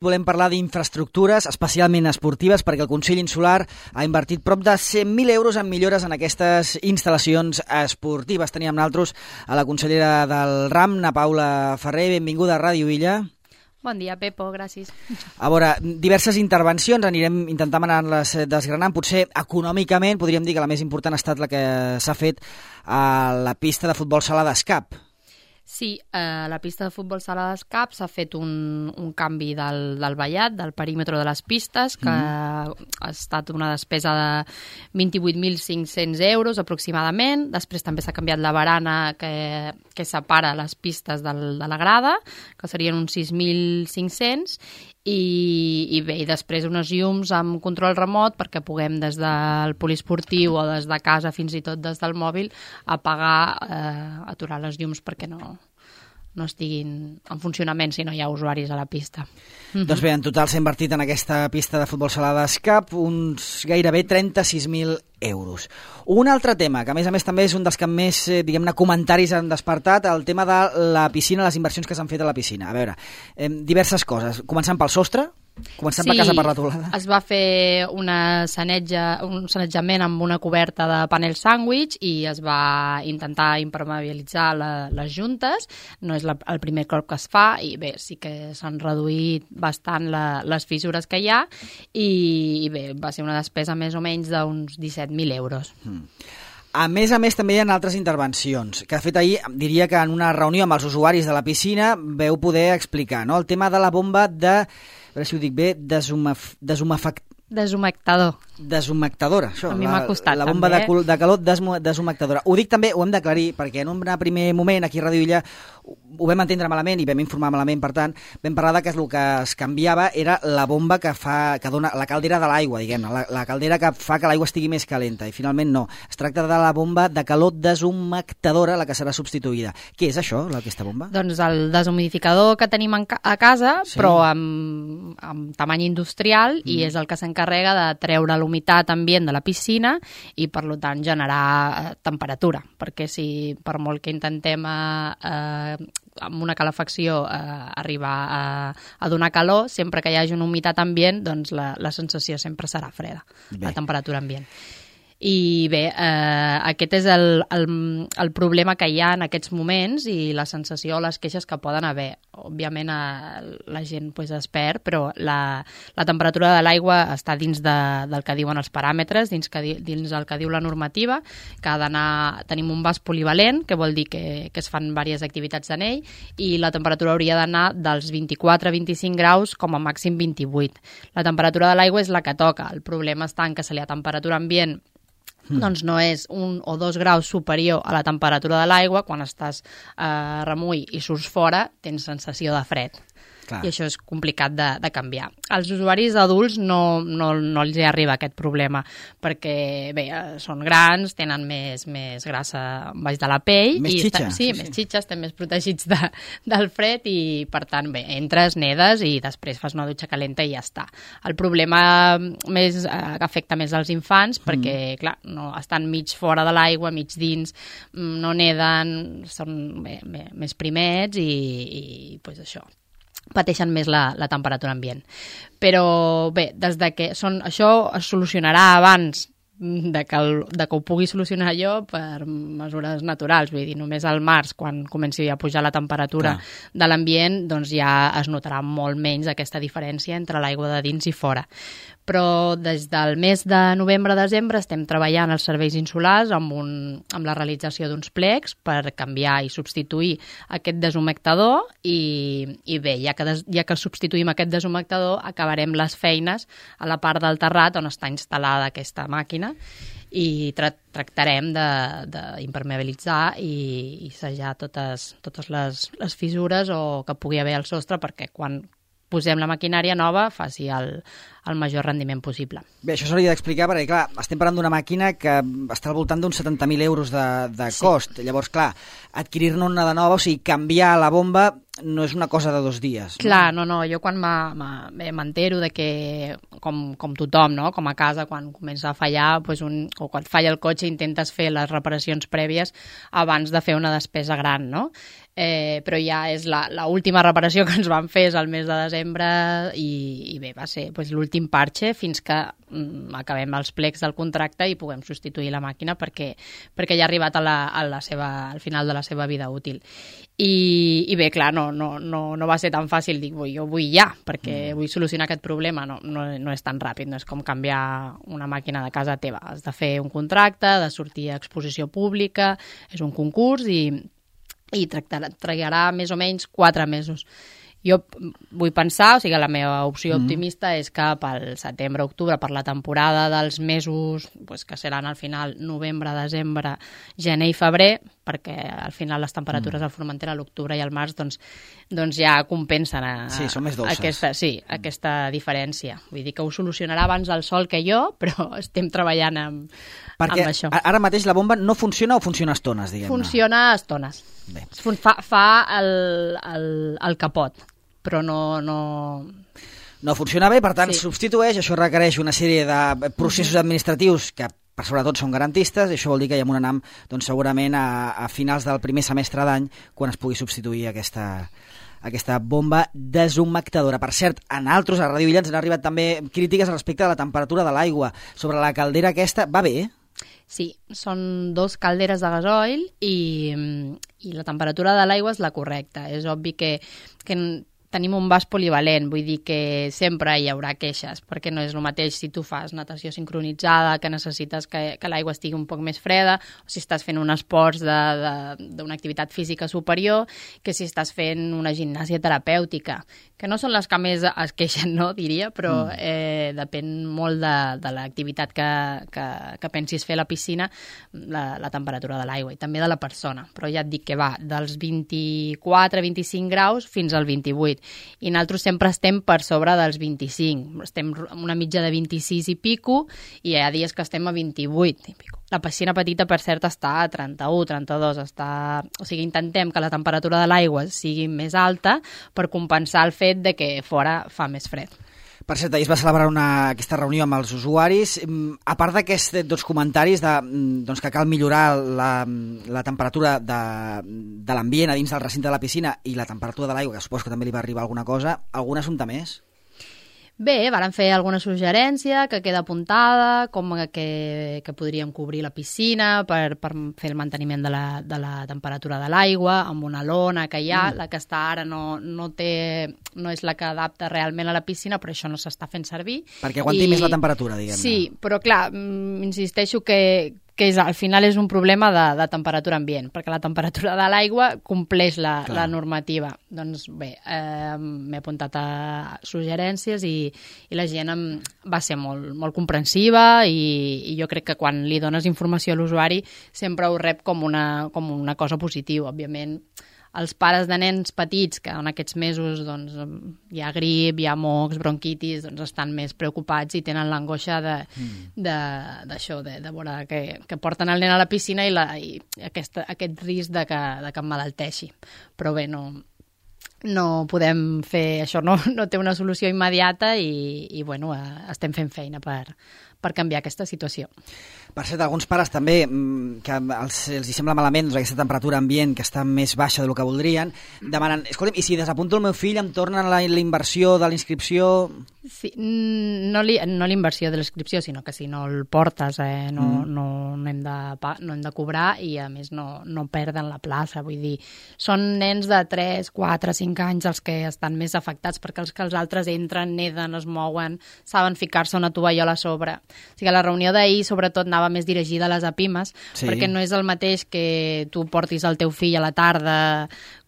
Volem parlar d'infraestructures, especialment esportives, perquè el Consell Insular ha invertit prop de 100.000 euros en millores en aquestes instal·lacions esportives. Teníem nosaltres a la consellera del RAM, na Paula Ferrer. Benvinguda a Ràdio Illa. Bon dia, Pepo, gràcies. A veure, diverses intervencions, anirem intentant anar-les desgranant. Potser econòmicament podríem dir que la més important ha estat la que s'ha fet a la pista de futbol sala d'Escap. Sí, a la pista de futbol sala d'Escap s'ha fet un canvi del vallat, del perímetre de les pistes, que ha estat una despesa de 28.500 euros aproximadament. Després també s'ha canviat la barana que separa les pistes de la grada, que serien uns 6.500, i bé, i després unes llums amb control remot perquè puguem des del poliesportiu o des de casa, fins i tot des del mòbil, apagar, aturar les llums perquè no estiguin en funcionament si no hi ha usuaris a la pista. Doncs bé, en total s'ha invertit en aquesta pista de futbol sala d'Escap uns gairebé 36.000 euros. Un altre tema, que a més també és un dels que més, diguem-ne, comentaris han despertat, el tema de la piscina, les inversions que s'han fet a la piscina. A veure, diverses coses. Començant pel sostre, començant per casa per la teulada. Es va fer un sanejament amb una coberta de panel sàndwich i es va intentar impermeabilitzar les juntes. No és el primer cop que es fa i bé, sí que s'han reduït bastant les fissures que hi ha i bé, va ser una despesa més o menys d'uns 17.000 euros. A més, també hi ha altres intervencions, que de fet ahir diria que en una reunió amb els usuaris de la piscina veu poder explicar, no? El tema de la bomba a veure si ho dic bé, desumectadora, això. A mi m'ha costat, la bomba també. de calor desumectadora. Ho dic també, ho hem d'aclarir, perquè en un primer moment aquí a Ràdio Illa ho vam entendre malament i vam informar malament, per tant, vam parlar que el que es canviava era la bomba que dona la caldera de l'aigua, diguem-ne, la caldera que fa que l'aigua estigui més calenta, i finalment no. Es tracta de la bomba de calor desumectadora, la que serà substituïda. Què és això, aquesta bomba? Doncs el deshumidificador que tenim a casa, sí, però amb tamany industrial, i és el que s'encarrega de treure l'humitat ambient de la piscina i, per tant, generar temperatura, perquè si per molt que intentem amb una calefacció arribar a donar calor, sempre que hi hagi una humitat ambient, doncs la sensació sempre serà freda, la temperatura ambient. I bé, aquest és el problema que hi ha en aquests moments i la sensació o les queixes que poden haver. Òbviament la gent es perd, però la temperatura de l'aigua està dins del que diuen els paràmetres, dins el que diu la normativa, que ha d'anar... Tenim un vas polivalent, que vol dir que es fan diverses activitats en ell, i la temperatura hauria d'anar dels 24-25 graus com a màxim 28. La temperatura de l'aigua és la que toca. El problema està en que si la temperatura ambient doncs no és 1 o 2 graus superior a la temperatura de l'aigua, quan estàs remull i surts fora, tens sensació de fred. Clar. I això és complicat de canviar. Als usuaris adults no els hi arriba aquest problema, perquè bé, són grans, tenen més grassa baix de la pell. Més xitxa. Més xitxa, estem més protegits del fred i, per tant, bé, entres, nedes i després fas una dutxa calenta i ja està. El problema que afecta més als infants, perquè, clar, no, estan mig fora de l'aigua, mig dins, no neden, són més primets i pues això, pateixen més la temperatura ambient. Però bé, això es solucionarà abans de que ho pugui solucionar jo per mesures naturals. Vull dir, només al març, quan comenci a pujar la temperatura de l'ambient, doncs ja es notarà molt menys aquesta diferència entre l'aigua de dins i fora. Però des del mes de novembre-desembre estem treballant als serveis insulars amb la realització d'uns plecs per canviar i substituir aquest desumectador i bé, ja que substituïm aquest desumectador, acabarem les feines a la part del terrat on està instal·lada aquesta màquina i tractarem d'impermeabilitzar i sellar totes les fissures o que pugui haver al sostre perquè quan posem la maquinària nova faci el major rendiment possible. Bé, això s'hauria d'explicar perquè, clar, estem parlant d'una màquina que està al voltant d'uns 70.000 euros de cost. Llavors, clar, adquirir-ne una de nova, o sigui, canviar la bomba no és una cosa de 2 dies. No? Clar, no. Jo quan m'entero de que, com tothom, no? Com a casa, quan comença a fallar, o quan falla el cotxe, intentes fer les reparacions prèvies abans de fer una despesa gran, no? però ja és l'última reparació que ens van fer és el mes de desembre i bé, va ser l'últim parche fins que acabem els plecs del contracte i puguem substituir la màquina perquè ja ha arribat al final de la seva vida útil. I bé, clar, no va ser tan fàcil, dic, jo vull ja, perquè vull solucionar aquest problema, no és tan ràpid, no és com canviar una màquina de casa teva, has de fer un contracte, de sortir a exposició pública, és un concurs i trigarà més o menys 4 mesos. Jo vull pensar, o sigui, la meva opció optimista és que pel setembre-octubre, per la temporada dels mesos que seran al final novembre, desembre, gener i febrer, perquè al final les temperatures al Formentera a l'octubre i al març doncs ja compensen són més dolces. Aquesta diferència. Vull dir que ho solucionarà abans el sol que jo, però estem treballant amb això. Perquè ara mateix la bomba no funciona o funciona a estones, diguem-ne? Funciona a estones. Bé. Fa el capot, però no funciona bé, per tant substitueix, això requereix una sèrie de processos administratius que per sobretot són garantistes, i això vol dir que hi ha un anam segurament a finals del primer semestre d'any quan es pugui substituir aquesta bomba deshumectadora. Per cert, a nosaltres, a Ràdio Illa, ens han arribat també crítiques respecte a la temperatura de l'aigua. Sobre la caldera aquesta, va bé? Sí, són 2 calderes de gasoil i la temperatura de l'aigua és la correcta. És obvi que tenim un vas polivalent, vull dir que sempre hi haurà queixes, perquè no és el mateix si tu fas natació sincronitzada, que necessites que l'aigua estigui un poc més freda, o si estàs fent un esports d'una activitat física superior, que si estàs fent una gimnàsia terapèutica, que no són les que més es queixen, no, diria, però depèn molt de l'activitat que pensis fer a la piscina, la temperatura de l'aigua i també de la persona. Però ja et dic que va dels 24-25 graus fins al 28. I nosaltres sempre estem per sobre dels 25. Estem amb una mitja de 26 i pico i hi ha dies que estem a 28 i pico. La piscina petita, per cert, està a 31, 32. O sigui, intentem que la temperatura de l'aigua sigui més alta per compensar el fet de que fora fa més fred. Per cert, ahir es va celebrar aquesta reunió amb els usuaris. A part d'aquests comentaris que cal millorar la temperatura de l'ambient a dins del recinte de la piscina i la temperatura de l'aigua, que suposo que també li va arribar alguna cosa, algun assumpte més? Bé, vàrem fer alguna suggerència que queda apuntada, com que podríem cobrir la piscina per fer el manteniment de la temperatura de l'aigua, amb una lona que hi ha, la que està ara no és la que adapta realment a la piscina, però això no s'està fent servir. Perquè aguanti més la temperatura, diguem-ne. Sí, però clar, insisteixo que al final és un problema de temperatura ambient, perquè la temperatura de l'aigua compleix la normativa. Doncs bé, m'he apuntat a suggerències i la gent va ser molt, molt comprensiva i jo crec que quan li dones informació a l'usuari sempre ho rep com una cosa positiva. Òbviament, els pares de nens petits, que en aquests mesos hi ha grip, hi ha mocs, bronquitis, estan més preocupats i tenen l'angoixa d'això, de veure que porten el nen a la piscina i aquest risc de que emmalalteixi. Però bé, no podem fer això, no té una solució immediata i bueno, estem fent feina per canviar aquesta situació. Per cert, alguns pares també, que els hi sembla malament aquesta temperatura ambient que està més baixa del que voldrien, demanen, escolta'm, i si desapunto el meu fill em tornen la inversió de l'inscripció? Sí, no l'inversió de l'inscripció, sinó que si no el portes no hem de cobrar i a més no perden la plaça. Vull dir, són nens de 3, 4, 5 anys els que estan més afectats, perquè els altres entren, neden, es mouen, saben ficar-se una tovallola a sobre. O sigui, la reunió d'ahir sobretot anava més dirigida a les apimes, perquè no és el mateix que tu portis el teu fill a la tarda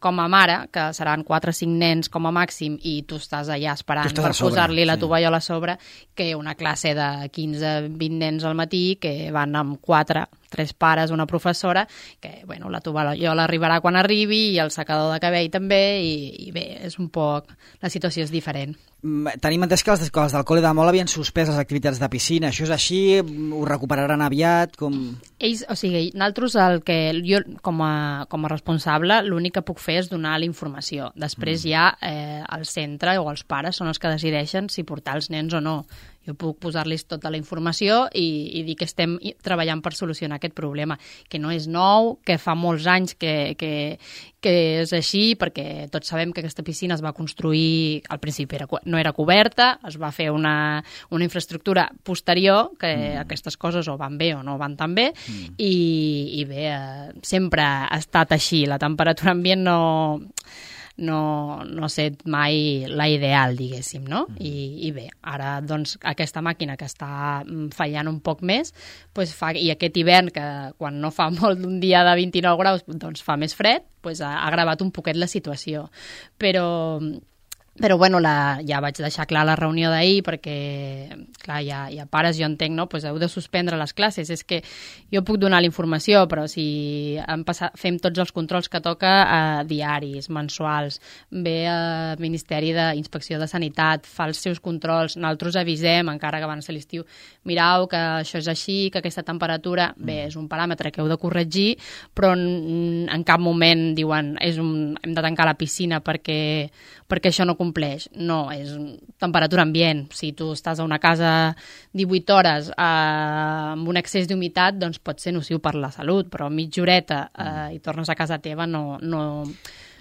com a mare, que seran 4 o 5 nens com a màxim i tu estàs allà esperant per posar-li la tovallola a sobre, que una classe de 15-20 nens al matí que van amb 3 pares, una professora, que bueno, la tovallola arribarà quan arribi i el secador de cabell també, i bé, és un poc... La situació és diferent. Tenim entès que els del Col·le de Mol havien suspès les activitats de piscina. Això és així? Ho recuperaran aviat? Ells, o sigui, nosaltres jo com a responsable l'únic que puc fer és donar la informació. Després ja el centre o els pares són els que decideixen si portar els nens o no. Jo puc posar-los tota la informació i dir que estem treballant per solucionar aquest problema, que no és nou, que fa molts anys que és així, perquè tots sabem que aquesta piscina es va construir, al principi no era coberta, es va fer una infraestructura posterior, que aquestes coses o van bé o no van tan bé, i bé, sempre ha estat així. La temperatura ambient no ha set mai la ideal, diguéssim, no? I bé, ara doncs aquesta màquina que està fallant un poc més, doncs i aquest hivern que quan no fa molt d'un dia de 29 graus doncs fa més fred, doncs ha agravat un poquet la situació. Però bueno, ja vaig deixar clar la reunió d'ahir perquè, clar, hi ha pares, jo entenc, no? Pues heu de suspendre les classes. És que jo puc donar la informació, però si fem tots els controls que toca diaris, mensuals, ve al Ministeri d'Inspecció de Sanitat, fa els seus controls, nosaltres avisem, encara que van ser l'estiu, mirau que això és així, que aquesta temperatura, bé, és un paràmetre que heu de corregir, però en cap moment diuen hem de tancar la piscina perquè això no compleix. No, és temperatura ambient. Si tu estàs a una casa 18 hores amb un excés d'humitat, doncs pot ser nociu per la salut, però mitja horeta i tornes a casa teva no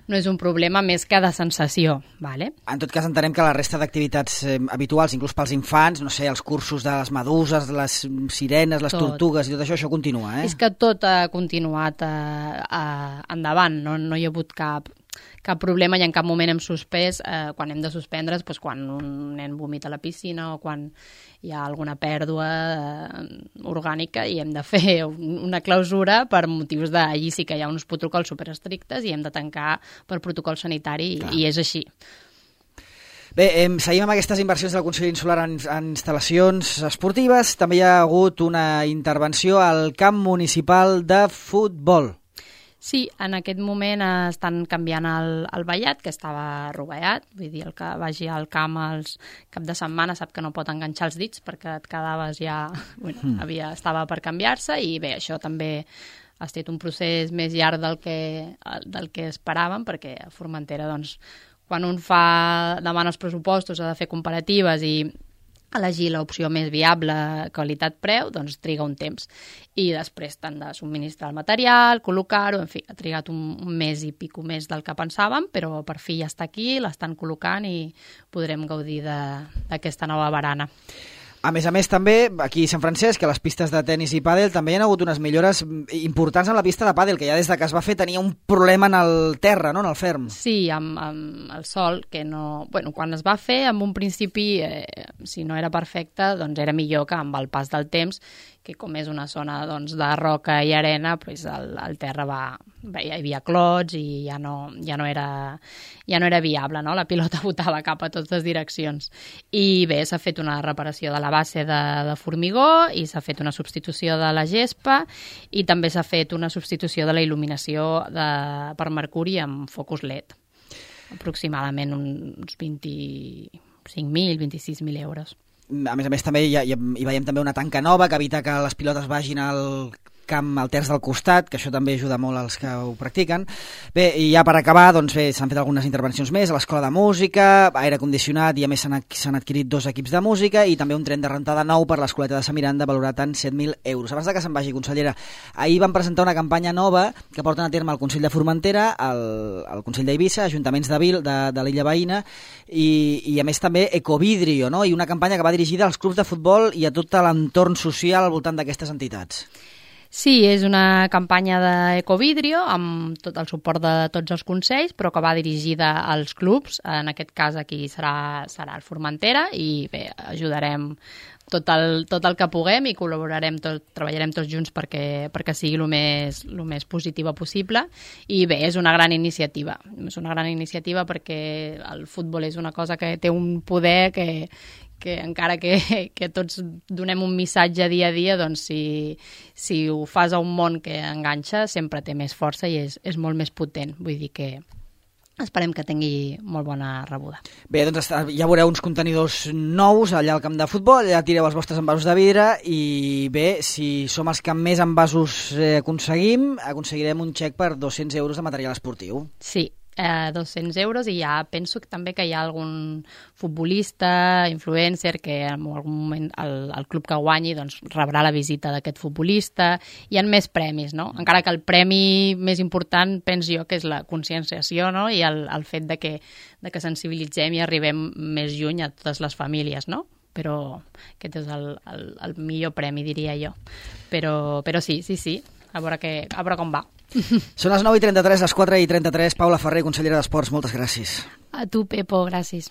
és un problema més que de sensació. Vale? En tot cas, entenem que la resta d'activitats habituals, inclús pels infants, no sé, els cursos de les meduses, les sirenes, les tortugues i tot això continua, eh? És que tot ha continuat endavant, no hi ha hagut cap problema i en cap moment hem suspès. Quan hem de suspendre's, doncs quan un nen vomita a la piscina o quan hi ha alguna pèrdua orgànica i hem de fer una clausura per motius allí sí que hi ha uns protocols superestrictes i hem de tancar per protocol sanitari i és així. Bé, seguim amb aquestes inversions del Consell Insular en instal·lacions esportives. També hi ha hagut una intervenció al camp municipal de futbol. Sí, en aquest moment estan canviant el vallat, que estava rovellat, vull dir, el que vagi al camp els cap de setmana sap que no pot enganxar els dits perquè et quedaves ja... Bueno, estava per canviar-se i bé, això també ha estat un procés més llarg del que esperàvem, perquè a Formentera, doncs, quan un demana els pressupostos, ha de fer comparatives i elegir l'opció més viable, qualitat-preu, doncs triga un temps. I després t'han de subministrar el material, col·locar-ho, en fi, ha trigat un mes i pico més del que pensàvem, però per fi ja està aquí, l'estan col·locant i podrem gaudir d'aquesta nova barana. A més, també, aquí a Sant Francesc, a les pistes de tennis i pàdel, també hi ha hagut unes millores importants en la pista de pàdel, que ja des que es va fer tenia un problema en el terra, no?, en el ferm. Sí, amb el sol, que no... Bueno, quan es va fer, en un principi, si no era perfecte, doncs era millor que amb el pas del temps, que com és una zona doncs, de roca i arena, doncs el terra hi havia clots i ja no era viable, no? La pilota botava cap a totes direccions. I bé, s'ha fet una reparació de la base de formigó i s'ha fet una substitució de la gespa i també s'ha fet una substitució de la il·luminació per mercuri amb focus LED. Aproximadament uns 25.000, 26.000 euros. A més, també hi veiem també una tanca nova que evita que les pilotes vagin al camp, al terç del costat, que això també ajuda molt als que ho practiquen. Bé, i ja per acabar, doncs bé, s'han fet algunes intervencions més a l'Escola de Música, aire condicionat i a més s'han adquirit 2 equips de música i també un tren de rentada nou per l'Escoleta de Sant Miranda valorat en 7.000 euros. Abans que se'n vagi, consellera, ahir van presentar una campanya nova que porten a terme el Consell de Formentera, el Consell d'Eivissa, Ajuntaments de l'illa veïna i a més també Ecovidrio, no? I una campanya que va dirigida als clubs de futbol i a tot l'entorn social al voltant d'aquestes entitats. Sí, és una campanya d'Ecovidrio amb tot el suport de tots els consells, però que va dirigida als clubs. En aquest cas aquí serà el Formentera i bé, ajudarem tot el que puguem i treballarem tots junts perquè sigui el més positiva possible. I bé, és una gran iniciativa. És una gran iniciativa perquè el futbol és una cosa que té un poder que encara que tots donem un missatge dia a dia, doncs si ho fas a un món que enganxa, sempre té més força i és molt més potent. Vull dir que esperem que tingui molt bona rebuda. Bé, doncs ja veureu uns contenidors nous allà al camp de futbol, allà tireu els vostres envasos de vidre i bé, si som els que més envasos aconseguirem un xec per 200 euros de material esportiu. Sí. 200 euros, i ja penso que també que hi ha algun futbolista, influencer, que en algun moment el club que guanyi doncs, rebrà la visita d'aquest futbolista. Hi ha més premis, no? Encara que el premi més important penso jo que és la conscienciació, no? I el fet de que sensibilitzem i arribem més lluny a totes les famílies, no? Però aquest és el millor premi, diria jo. Però sí, a veure com va. Són les 9:33, les 4:33. Paula Ferrer, consellera d'Esports, moltes gràcies. A tu, Pepo, gràcies.